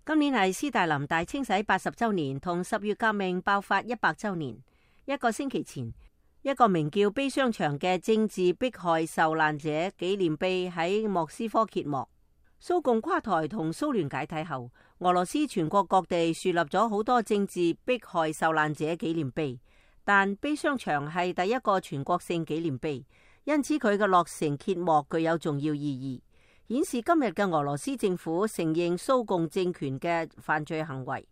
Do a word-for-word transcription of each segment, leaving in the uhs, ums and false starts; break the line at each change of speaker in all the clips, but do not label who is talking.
今年係斯大林大清洗八十週年同十月革命爆發一百週年。一個星期前，一個名叫悲傷牆嘅政治迫害受難者紀念碑喺莫斯科揭幕。蘇共垮台同蘇聯解體後，俄羅斯全國各地樹立咗好多政治迫害受難者紀念碑，但悲傷牆係第一個全國性紀念碑，因此佢嘅落成揭幕具有重要意義，顯示今日嘅俄羅斯政府承認蘇共政權嘅犯罪行為。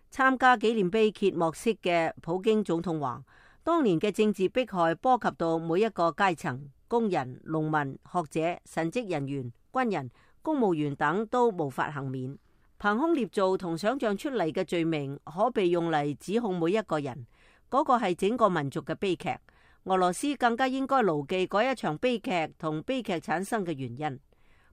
參加紀念碑揭幕式嘅普京總統話，當年嘅政治迫害波及到每一個階層，工人、農民、學者、神職人員、軍人、公務員等都無法幸免。憑空捏造同想象出嚟嘅罪名可被用嚟指控每一個人，嗰個係整個民族嘅悲劇。俄羅斯更加應該牢記嗰一場悲劇同悲劇產生嘅原因。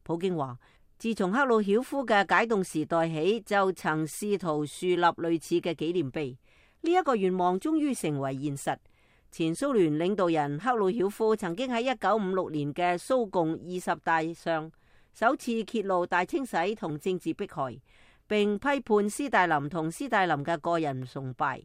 普京話，自從赫魯曉夫嘅解凍時代起，就曾試圖樹立類似嘅紀念碑。呢一個願望終於成為現實。前蘇聯領導人赫魯曉夫曾經喺一九五六年嘅蘇共二十大上首次揭露大清洗同政治迫害，並批判斯大林同斯大林嘅個人崇拜。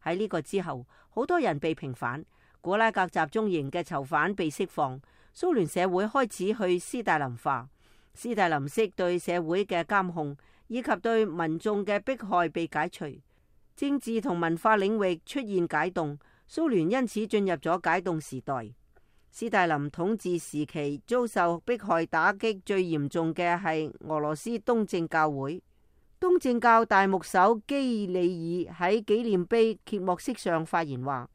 喺呢個之後，好多人被平反，古拉格集中營嘅囚犯被釋放，蘇聯社會開始去斯大林化。斯大林式對社會嘅監控以及對民眾嘅迫害被解除，政治同文化領域出現解凍，蘇聯因此進入咗解凍時代。斯大林統治時期遭受迫害打擊最嚴重嘅係俄羅斯東正教會。東正教大牧首基里爾喺紀念碑揭幕式上發言話，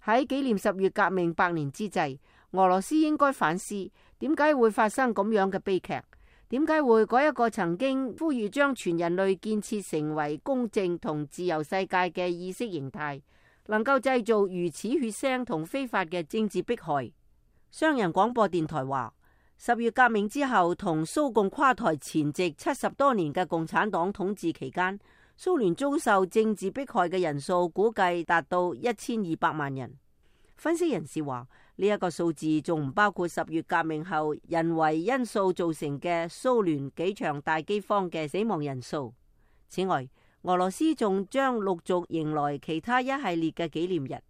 喺紀念十月革命百年之際，俄羅斯應該反思點解會發生咁樣嘅悲劇。點解會嗰一個曾經呼籲將全人類建設成為公正同自由世界嘅意識形態，能夠製造如此血腥同非法嘅政治迫害？商人廣播電台話，十月革命之後同蘇共垮台前夕七十多年嘅共產黨統治期間，蘇聯遭受政治迫害嘅人數估計達到一千二百萬人。分析人士話，呢一個數字仲唔包括十月革命後人為因素造成嘅蘇聯幾場大饑荒嘅死亡人數。此外，俄羅斯仲將陸續迎來其他一系列嘅紀念日。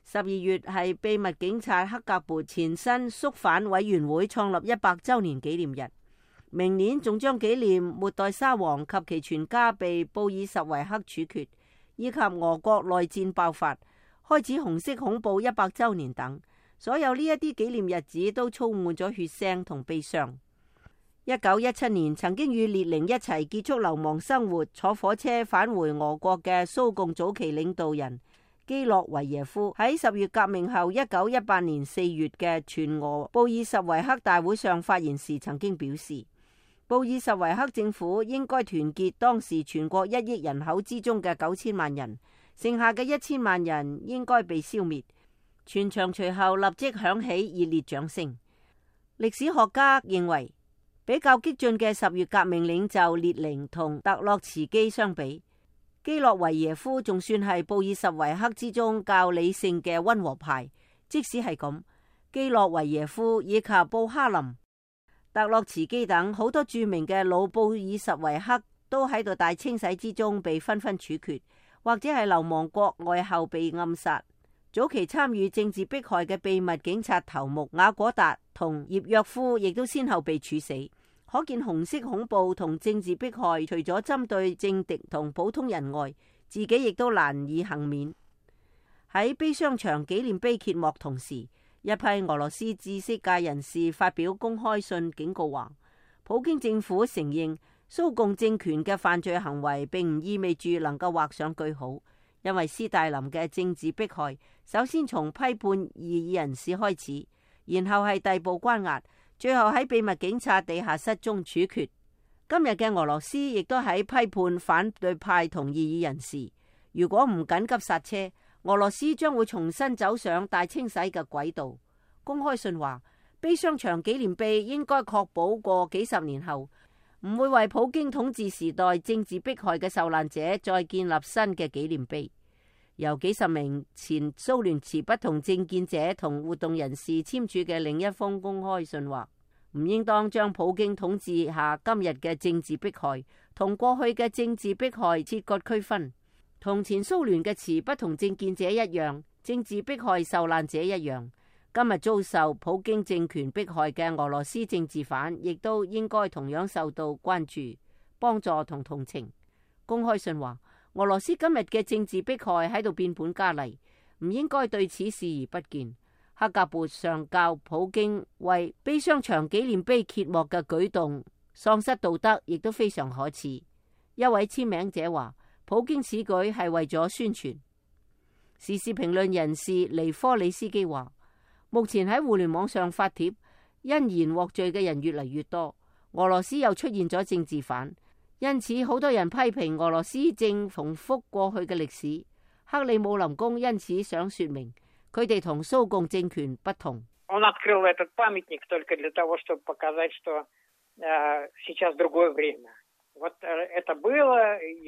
十二月係秘密警察克格勃前身肅反委員會創立一百週年紀念日。明年仲將紀念末代沙皇及其全家被布爾什維克處決，以及俄國內戰爆發、開始紅色恐怖一百週年等。所有呢一啲紀念日子都充滿咗血腥同悲傷。一九一七年曾經與列寧一齊結束流亡生活，坐火車返回俄國嘅蘇共早期領導人基洛維耶夫，喺十月革命後一九一八年四月嘅全俄布爾什維克大會上發言時曾經表示，布爾什維克政府應該團結當時全國一億人口之中嘅九千萬人，剩下嘅一千萬人應該被消滅。全場隨後立即響起熱烈掌聲。歷史學家認為，比較激進嘅十月革命領袖列寧同特洛茨基相比，基洛維耶夫仲算係布爾什維克之中較理性嘅溫和派。即使係咁，基洛維耶夫以及布哈林、特洛茨基等好多著名嘅老布爾什維克都喺度大清洗之中被紛紛處決，或者係流亡國外後被暗殺。早期參與政治迫害嘅秘密警察頭目雅果達同葉約夫亦都先後被處死。可見紅色恐怖同政治迫害除咗針對政敵同普通人外，自己亦都難以幸免。喺悲傷牆紀念碑揭幕同時，一批俄羅斯知識界人士發表公開信警告話，普京政府承認蘇共政權嘅犯罪行為並唔意味住能夠畫上句號。因為斯大林嘅政治迫害，首先從批判異議人士開始，然後係逮捕關押，最後喺秘密警察地下室中處決。今日嘅俄羅斯亦都喺批判反對派同異議人士。如果唔緊急剎車，俄羅斯將會重新走上大清洗嘅軌道。公開信話，悲傷牆紀念碑應該確保過幾十年後，唔會為普京統治時代政治迫害嘅受難者再建立新嘅紀念碑。由幾十名前蘇聯持不同政見者同活動人士簽署嘅另一封公開信話，唔應當將普京統治下今日嘅政治迫害同過去嘅政治迫害切割區分，同前蘇聯嘅持不同政見者一樣，政治迫害受難者一樣，今日遭受普京政權迫害嘅俄羅斯政治犯，亦都應該同樣受到關注、幫助同同情。公開信話，俄羅斯今日嘅政治迫害喺度變本加厲，唔應該對此視而不見。克格勃上校普京為悲傷牆紀念碑揭幕嘅舉動喪失道德，亦都非常可恥。一位簽名者話，普京此舉係為咗宣傳。時事評論人士尼科里斯基話，目前喺互聯網上發帖因言獲罪嘅人越嚟越多，俄羅斯又出現咗政治犯，因此好多人批評俄羅斯正重複過去嘅歷史。克里姆林宮因此想說明，佢哋同蘇共政權不同。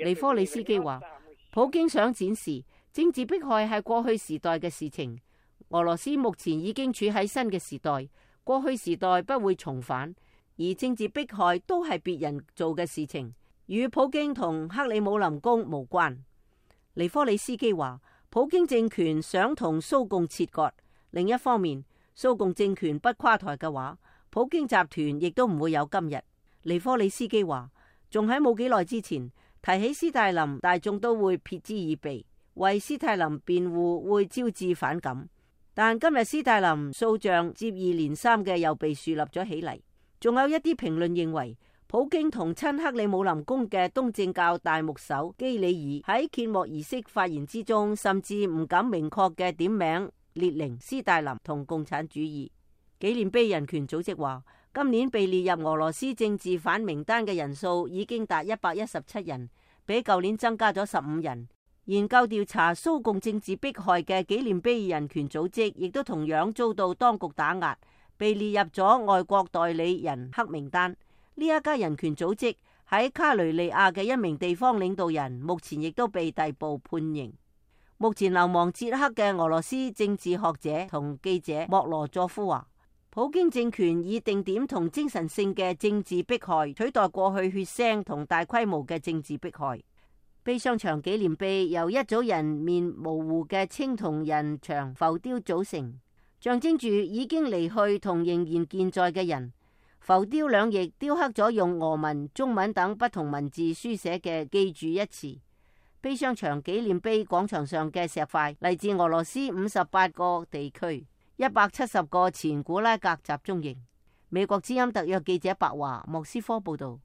尼科里斯基話，普京想展示政治迫害係過去時代嘅事情，俄羅斯目前已經處喺新嘅時代，過去時代不會重返，而政治迫害都係別人做嘅事情，與普京同克里姆林宮無關。尼科里斯基話，普京政權想同蘇共切割，另一方面，蘇共政權不垮台嘅話，普京集團亦都唔會有今日。尼科里斯基話，仲喺冇幾耐之前提起斯大林，大眾都會撇之以鼻，為斯大林辯護會招致反感。但今日斯大林塑像接二連三嘅又被樹立咗起嚟。仲有一啲評論認為，普京同親克里姆林宮嘅東正教大牧首基里爾喺揭幕儀式發言之中，甚至唔敢明確嘅點名列寧、斯大林同共產主義。紀念碑人權組織話，今年被列入俄羅斯政治犯名單嘅人數已經達一百一十七人，比舊年增加咗十五人。研究調查蘇共政治迫害嘅紀念碑人權組織亦都同樣遭到當局打壓，被列入咗外國代理人黑名單。呢一家人權組織喺卡雷利亞嘅一名地方領導人，目前亦都被逮捕判刑。目前流亡捷克嘅俄羅斯政治學者同記者莫羅佐夫話，普京政權以定點同精神性嘅政治迫害取代過去血腥同大規模嘅政治迫害。悲傷牆紀念碑由一組人面模糊嘅青銅人牆浮雕組成，象徵住已經離去同仍然健在嘅人。浮雕兩翼雕刻咗用俄文、中文等不同文字書寫嘅記住一詞。悲傷牆紀念碑廣場上嘅石塊嚟自俄羅斯五十八個地區，一百七十個前古拉格集中營。美國之音特約記者白華莫斯科報道。